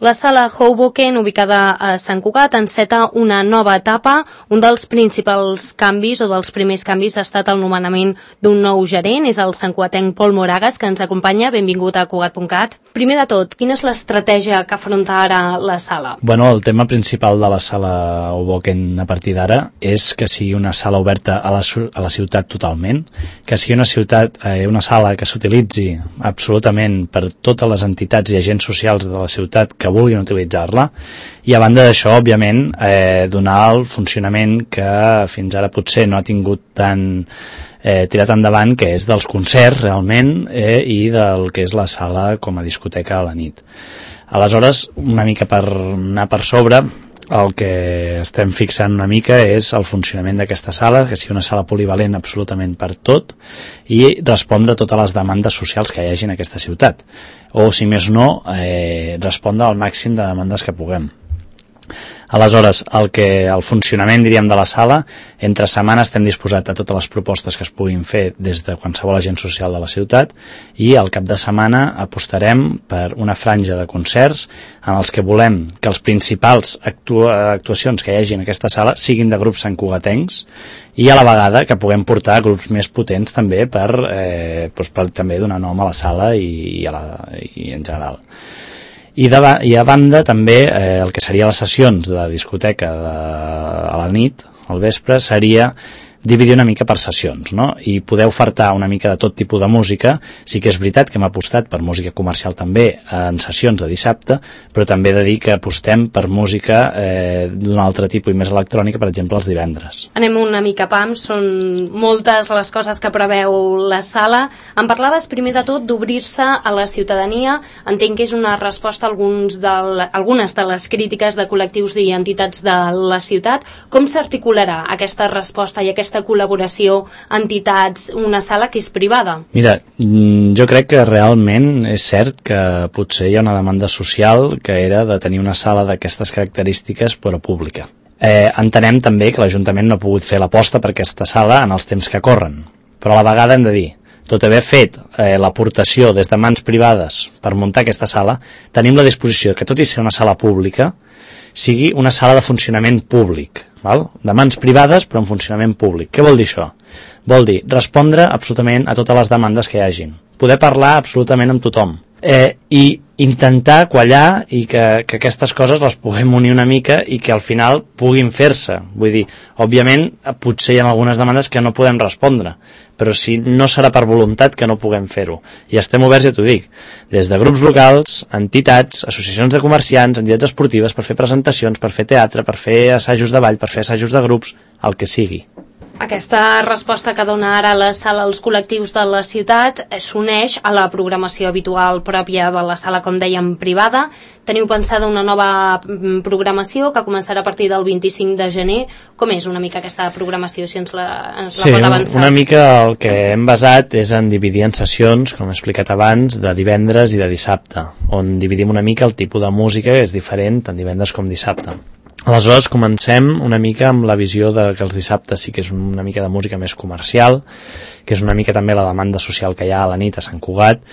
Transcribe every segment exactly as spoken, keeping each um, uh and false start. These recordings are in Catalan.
La sala Hoboken, ubicada a Sant Cugat, enceta una nova etapa. Un dels principals canvis o dels primers canvis ha estat el nomenament d'un nou gerent, és el santcugatenc Pol Moragas, que ens acompanya. Benvingut a Cugat punt cat. Primer de tot, quina és l'estratègia que afronta ara la sala? Bueno, el tema principal de la sala Hoboken a partir d'ara és que sigui una sala oberta a la, a la ciutat totalment, que sigui una ciutat, eh, una sala que s'utilitzi absolutament per totes les entitats i agents socials de la ciutat que vulguin utilitzar-la, i a banda d'això, òbviament, eh, donar el funcionament que fins ara potser no ha tingut tan eh, tirat endavant, que és dels concerts realment, eh, i del que és la sala com a discoteca a la nit. Aleshores, una mica per anar per sobre, el que estem fixant una mica és el funcionament d'aquesta sala, que sigui una sala polivalent absolutament per tot i respondre a totes les demandes socials que hi hagi en aquesta ciutat. O, si més no, eh, respondre al màxim de demandes que puguem. Aleshores, el, que, el funcionament, diríem, de la sala, entre setmana estem disposats a totes les propostes que es puguin fer des de qualsevol agent social de la ciutat, i al cap de setmana apostarem per una franja de concerts en els que volem que els principals actua, actuacions que hi hagi en aquesta sala siguin de grups santcugatencs, i a la vegada que puguem portar grups més potents també per, eh, doncs per també donar nom a la sala i, i, a la, i en general. I, de, i a banda també eh, el que seria les sessions de discoteca de, a la nit, al vespre, seria dividir una mica per sessions, no? I poder ofertar una mica de tot tipus de música. Sí que és veritat que hem apostat per música comercial també en sessions de dissabte, però també he de dir que apostem per música eh, d'un altre tipus i més electrònica, per exemple, els divendres. Anem una mica pam, són moltes les coses que preveu la sala. Em parlaves primer de tot d'obrir-se a la ciutadania. Entenc que és una resposta a alguns de la, algunes de les crítiques de col·lectius i entitats de la ciutat. Com s'articularà aquesta resposta i aquesta col·laboració, entitats, una sala que és privada? Mira, jo crec que realment és cert que potser hi ha una demanda social que era de tenir una sala d'aquestes característiques però pública. Eh, entenem també que l'Ajuntament no ha pogut fer l'aposta per aquesta sala en els temps que corren, però a la vegada hem de dir, tot haver fet eh, l'aportació des de mans privades per muntar aquesta sala, tenim la disposició que tot i ser una sala pública sigui una sala de funcionament públic, val? De mans privades però en funcionament públic. Què vol dir això? Vol dir respondre absolutament a totes les demandes que hi hagin, poder parlar absolutament amb tothom, eh, i intentar quallar i que, que aquestes coses les puguem unir una mica i que al final puguin fer-se. Vull dir, òbviament potser hi ha algunes demandes que no podem respondre, però si no serà per voluntat que no puguem fer-ho. I estem oberts, ja t'ho dic, des de grups locals, entitats, associacions de comerciants, entitats esportives, per fer presentacions, per fer teatre, per fer assajos de ball, per fer assajos de grups, el que sigui. Aquesta resposta que dona ara la sala als col·lectius de la ciutat s'uneix a la programació habitual pròpia de la sala, com dèiem, privada. Teniu pensada una nova programació que començarà a partir del vint-i-cinc de gener. Com és una mica aquesta programació, si ens la, ens la sí, pot avançar? Una mica el que hem basat és en dividir en sessions, com he explicat abans, de divendres i de dissabte, on dividim una mica el tipus de música que és diferent tant divendres com dissabte. Aleshores comencem una mica amb la visió de que els dissabtes sí que és una mica de música més comercial, que és una mica també la demanda social que hi ha a la nit a Sant Cugat,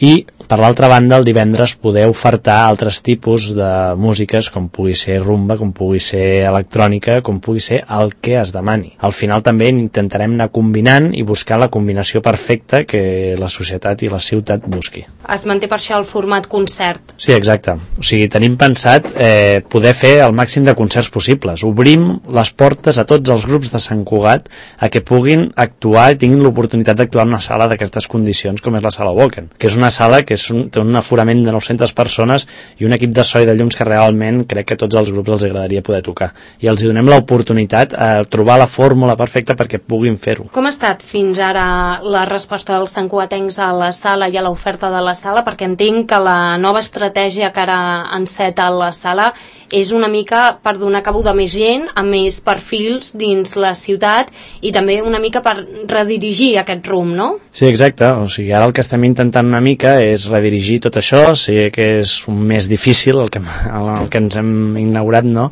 i per l'altra banda el divendres poder ofertar altres tipus de músiques com pugui ser rumba, com pugui ser electrònica, com pugui ser el que es demani. Al final també intentarem anar combinant i buscar la combinació perfecta que la societat i la ciutat busqui. Es manté per això el format concert? Sí, exacte. O sigui, tenim pensat eh, poder fer el màxim de concerts possibles. Obrim les portes a tots els grups de Sant Cugat a que puguin actuar i tinguin l'oportunitat d'actuar en una sala d'aquestes condicions com és la sala Hoboken, que és una sala que és un, té un aforament de nou-centes persones i un equip de so i de llums que realment crec que a tots els grups els agradaria poder tocar. I els donem l'oportunitat a trobar la fórmula perfecta perquè puguin fer-ho. Com ha estat fins ara la resposta dels santcugatencs a la sala i a l'oferta de la sala? Perquè entenc que la nova estratègia que ara enceta la sala és una mica per donar cabuda a més gent, a més perfils dins la ciutat i també una mica per redirigir aquest rumb, no? Sí, exacte. O sigui, ara el que estem intentant una mica és redirigir tot això. Sé que és un més difícil el que, el que ens hem inaugurat, no?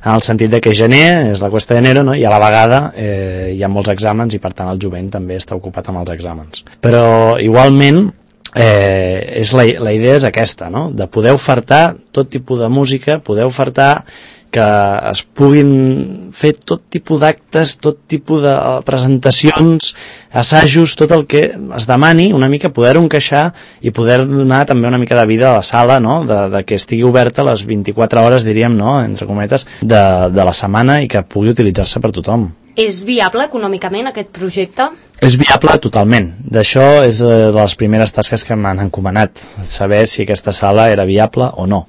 En el sentit de que gener és la cuesta d'enero, no? I a la vegada eh, hi ha molts exàmens i per tant el jovent també està ocupat amb els exàmens. Però igualment eh, és la, la idea és aquesta, no? De poder ofertar tot tipus de música, poder ofertar que es puguin fer tot tipus d'actes, tot tipus de presentacions, assajos, tot el que es demani, una mica poder-ho encaixar i poder donar també una mica de vida a la sala, no? de, de que estigui oberta les vint-i-quatre hores, diríem, no? entre cometes, de, de la setmana i que pugui utilitzar-se per tothom. És viable econòmicament aquest projecte? És viable totalment. D'això és de les primeres tasques que m'han encomanat, saber si aquesta sala era viable o no.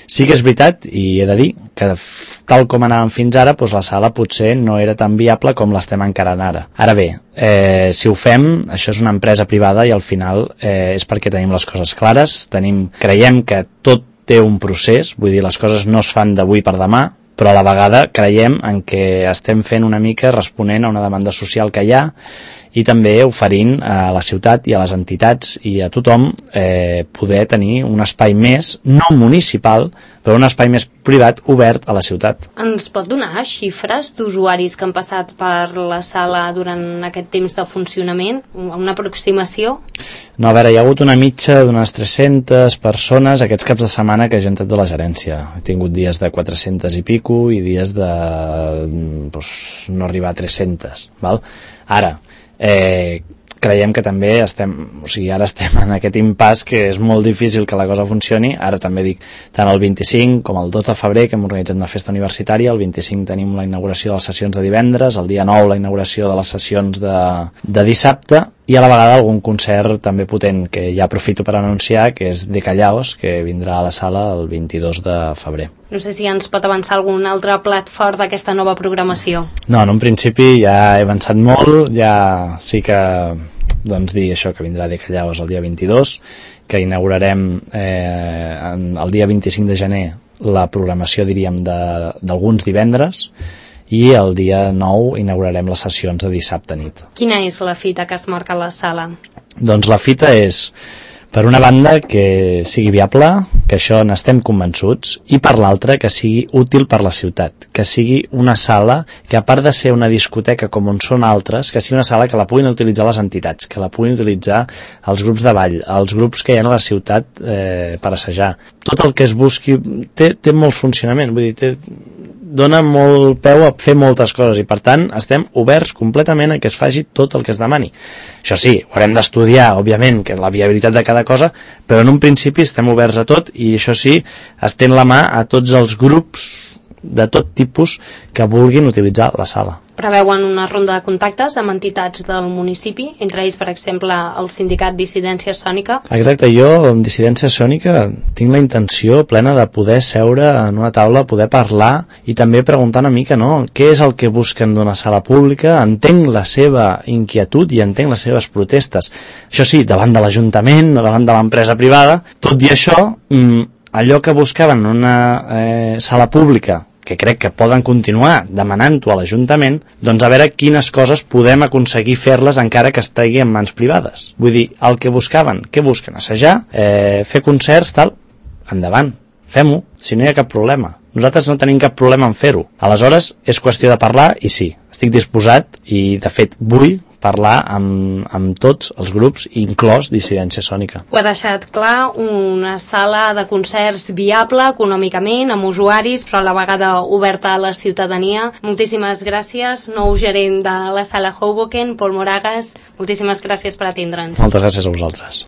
Sí que és veritat, i he de dir, que tal com anàvem fins ara, doncs la sala potser no era tan viable com l'estem encarant ara. Ara bé, eh, si ho fem, això és una empresa privada i al final eh, és perquè tenim les coses clares, tenim, creiem que tot té un procés, vull dir, les coses no es fan d'avui per demà, però a la vegada creiem en què estem fent una mica responent a una demanda social que hi ha i també oferint a la ciutat i a les entitats i a tothom eh, poder tenir un espai més, no municipal, però un espai més privat obert a la ciutat. Ens pot donar xifres d'usuaris que han passat per la sala durant aquest temps de funcionament? Una aproximació? No, a veure, hi ha hagut una mitja d'unes tres-centes persones aquests caps de setmana que he entrat de la gerència. He tingut dies de quatre-centes i pico i dies de doncs, no arribar a tres-centes. Val? Ara, eh, creiem que també estem, o sigui, ara estem en aquest impàs que és molt difícil que la cosa funcioni. Ara també dic, tant el vint-i-cinc com el dos de febrer, que hem organitzat una festa universitària, el vint-i-cinc tenim la inauguració de les sessions de divendres, el dia nou la inauguració de les sessions de, de dissabte, i a la vegada algun concert també potent que ja aprofito per anunciar, que és de Callaos, que vindrà a la sala el vint-i-dos de febrer. No sé si ens pot avançar algun altre plat fort d'aquesta nova programació. No, en un principi ja he avançat molt, ja sí que doncs dir això, que vindrà de Callaos el dia vint-i-dos, que inaugurarem eh, el dia vint-i-cinc de gener la programació, diríem, d'alguns divendres, i el dia nou inaugurarem les sessions de dissabte nit. Quina és la fita que es marca a la sala? Doncs la fita és, per una banda, que sigui viable, que això n'estem convençuts, i per l'altra, que sigui útil per la ciutat, que sigui una sala que, a part de ser una discoteca com on són altres, que sigui una sala que la puguin utilitzar les entitats, que la puguin utilitzar els grups de ball, els grups que hi ha a la ciutat eh, per assajar. Tot el que es busqui té, té molt funcionament, vull dir, té, dona molt peu a fer moltes coses i per tant estem oberts completament a que es faci tot el que es demani. Això sí, ho haurem d'estudiar, òbviament, que la viabilitat de cada cosa, però en un principi estem oberts a tot i això sí, estén la mà a tots els grups de tot tipus que vulguin utilitzar la sala. Preveuen una ronda de contactes amb entitats del municipi, entre ells, per exemple, el sindicat Dissidència Sònica? Exacte, jo amb Dissidència Sònica tinc la intenció plena de poder seure en una taula, poder parlar i també preguntar una mica, no?, què és el que busquen d'una sala pública, entenc la seva inquietud i entenc les seves protestes. Això sí, davant de l'Ajuntament o davant de l'empresa privada, tot i això, allò que buscaven en una eh, sala pública, que crec que poden continuar demanant-ho a l'Ajuntament, doncs a veure quines coses podem aconseguir fer-les encara que estigui en mans privades. Vull dir, el que buscaven, què busquen? Assajar, eh, fer concerts, tal, endavant, fem-ho, si no hi ha cap problema. Nosaltres no tenim cap problema en fer-ho. Aleshores, és qüestió de parlar i sí, estic disposat i, de fet, vull parlar amb, amb tots els grups, inclòs Dissidència Sònica. Ho ha deixat clar, una sala de concerts viable econòmicament, amb usuaris, però a la vegada oberta a la ciutadania. Moltíssimes gràcies, nou gerent de la sala Hoboken, Pol Moragas, moltíssimes gràcies per atendre'ns. Moltes gràcies a vosaltres.